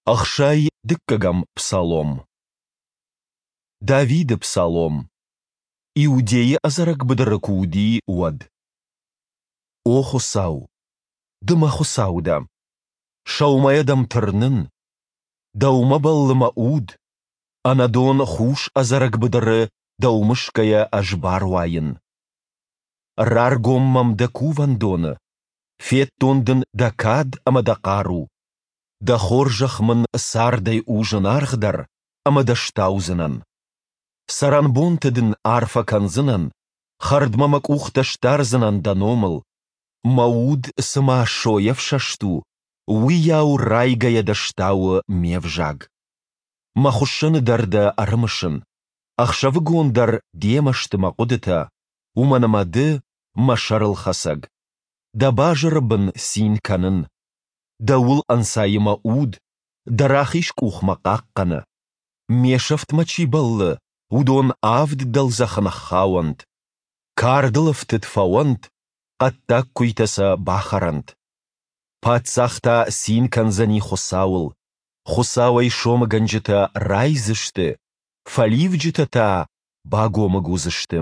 62-ӕм псалом. Давиды псалом. Иудейы ӕдзӕрӕг быдыры куы уыди, уӕд. О Хуыцау, Ды мӕ Хуыцау дӕ! Сӕумӕйӕ дӕм тырнын. Дӕумӕ бӕллы мӕ уд. Ӕнӕдон хус ӕдзӕрӕг быдыры Дӕу мысгӕйӕ ӕз баруайын. Раргом мӕм дӕ кувӕндоны, федтон дын дӕ кад ӕмӕ дӕ хъару. Дӕ хорзӕх мын цардӕй у зынаргъдӕр, ӕмӕ дӕ стаудзынӕн. Цӕрӕнбонты дын арфӕ кӕндзынӕн, хӕрдмӕ мӕ къухтӕ сдардзынӕн дӕ номыл. Мӕ уд цыма сойӕ ӕфсӕст у, уыйау райгӕйӕ дӕ стауы ме взаг. Мӕ хуыссӕны дӕр дӕ ӕрымысын, ӕхсӕвыгон дӕр демӕ сты мӕ хъуыдытӕ, уымӕн ӕмӕ ды, мӕ сӕрылхӕцӕг. Дӕ базыры бын цин кӕнын. Дӕуыл ӕнцайы мӕ уд, дӕ рахиз къух мӕ хъахъхъӕны. Ме сӕфтмӕ чи бӕллы, уыдон авд дӕлдзӕхы ныххауӕнт. Кардыл ӕфтыд фӕуӕнт, хъӕддаг куыйтӕ сӕ бахӕрӕнт. Паддзах та цин кӕндзӕни Хуыцауыл. Хуыцауӕй сомыгӕнджытӕ райдзысты, фӕливджытӕ та багомыг уыдзысты.